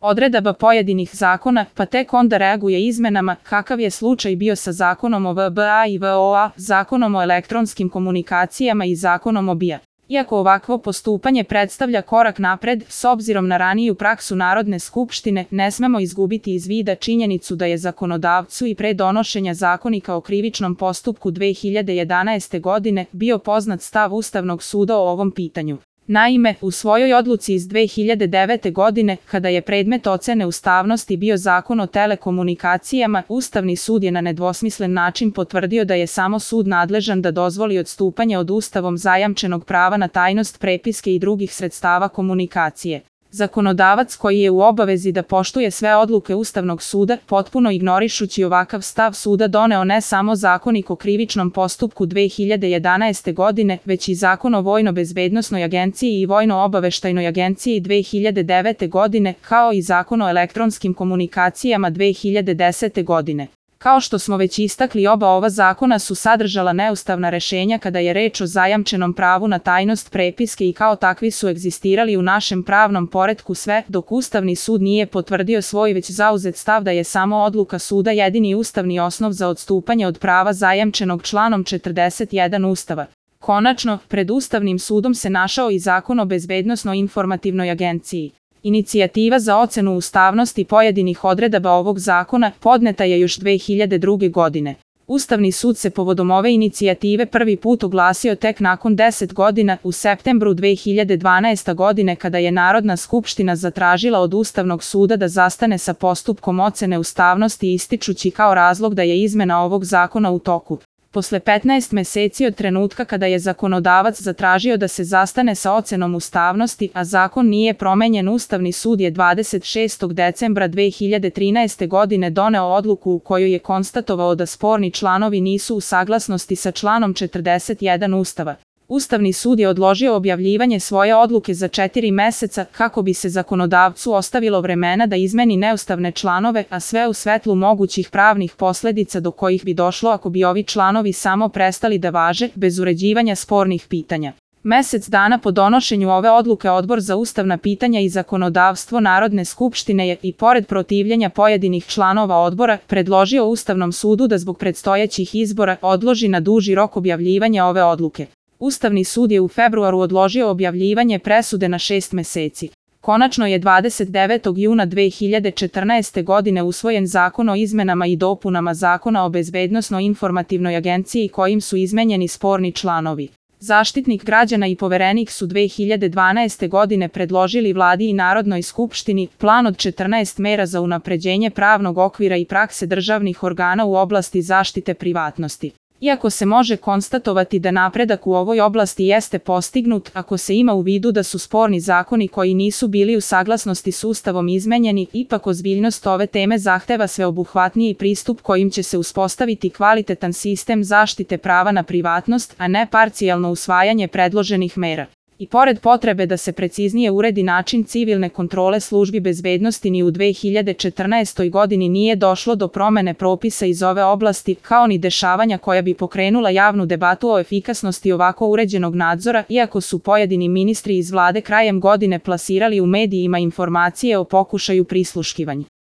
odredaba pojedinih zakona, pa tek onda reaguje izmenama, kakav je slučaj bio sa zakonom o VBA i VOA, zakonom o elektronskim komunikacijama i zakonom o BIA. Iako ovakvo postupanje predstavlja korak napred, s obzirom na raniju praksu Narodne skupštine, ne smemo izgubiti iz vida činjenicu da je zakonodavcu i pre donošenja Zakonika o krivičnom postupku 2011. godine bio poznat stav Ustavnog suda o ovom pitanju. Naime, u svojoj odluci iz 2009. godine, kada je predmet ocene ustavnosti bio Zakon o telekomunikacijama, Ustavni sud je na nedvosmislen način potvrdio da je samo sud nadležan da dozvoli odstupanje od Ustavom zajamčenog prava na tajnost prepiske i drugih sredstava komunikacije. Zakonodavac koji je u obavezi da poštuje sve odluke Ustavnog suda, potpuno ignorišući ovakav stav suda, doneo ne samo Zakonik o krivičnom postupku 2011. godine, već i Zakon o Vojno-bezbednosnoj agenciji i Vojno-obaveštajnoj agenciji 2009. godine, kao i Zakon o elektronskim komunikacijama 2010. godine. Kao što smo već istakli, oba ova zakona su sadržala neustavna rešenja kada je reč o zajamčenom pravu na tajnost prepiske i kao takvi su egzistirali u našem pravnom poretku sve dok Ustavni sud nije potvrdio svoj već zauzet stav da je samo odluka suda jedini ustavni osnov za odstupanje od prava zajamčenog članom 41 Ustava. Konačno, pred Ustavnim sudom se našao i Zakon o Bezbednosno-informativnoj agenciji. Inicijativa za ocenu ustavnosti pojedinih odredaba ovog zakona podneta je još 2002. godine. Ustavni sud se povodom ove inicijative prvi put oglasio tek nakon 10 godina, u septembru 2012. godine, kada je Narodna skupština zatražila od Ustavnog suda da zastane sa postupkom ocene ustavnosti, ističući kao razlog da je izmena ovog zakona u toku. Posle 15 meseci od trenutka kada je zakonodavac zatražio da se zastane sa ocenom ustavnosti, a zakon nije promenjen, Ustavni sud je 26. decembra 2013. godine doneo odluku u kojoj je konstatovao da sporni članovi nisu u saglasnosti sa članom 41 Ustava. Ustavni sud je odložio objavljivanje svoje odluke za 4 meseca kako bi se zakonodavcu ostavilo vremena da izmeni neustavne članove, a sve u svetlu mogućih pravnih posledica do kojih bi došlo ako bi ovi članovi samo prestali da važe, bez uređivanja spornih pitanja. Mesec dana po donošenju ove odluke Odbor za ustavna pitanja i zakonodavstvo Narodne skupštine je, i pored protivljenja pojedinih članova odbora, predložio Ustavnom sudu da zbog predstojećih izbora odloži na duži rok objavljivanje ove odluke. Ustavni sud je u februaru odložio objavljivanje presude na 6 meseci. Konačno je 29. juna 2014. godine usvojen Zakon o izmenama i dopunama Zakona o Bezbednosno-informativnoj agenciji kojim su izmenjeni sporni članovi. Zaštitnik građana i Poverenik su 2012. godine predložili Vladi i Narodnoj skupštini plan od 14 mera za unapređenje pravnog okvira i prakse državnih organa u oblasti zaštite privatnosti. Iako se može konstatovati da napredak u ovoj oblasti jeste postignut, ako se ima u vidu da su sporni zakoni koji nisu bili u saglasnosti s Ustavom izmenjeni, ipak ozbiljnost ove teme zahteva sveobuhvatniji pristup kojim će se uspostaviti kvalitetan sistem zaštite prava na privatnost, a ne parcijalno usvajanje predloženih mera. I pored potrebe da se preciznije uredi način civilne kontrole službi bezbednosti, ni u 2014. godini nije došlo do promene propisa iz ove oblasti, kao ni dešavanja koja bi pokrenula javnu debatu o efikasnosti ovako uređenog nadzora, iako su pojedini ministri iz vlade krajem godine plasirali u medijima informacije o pokušaju prisluškivanja.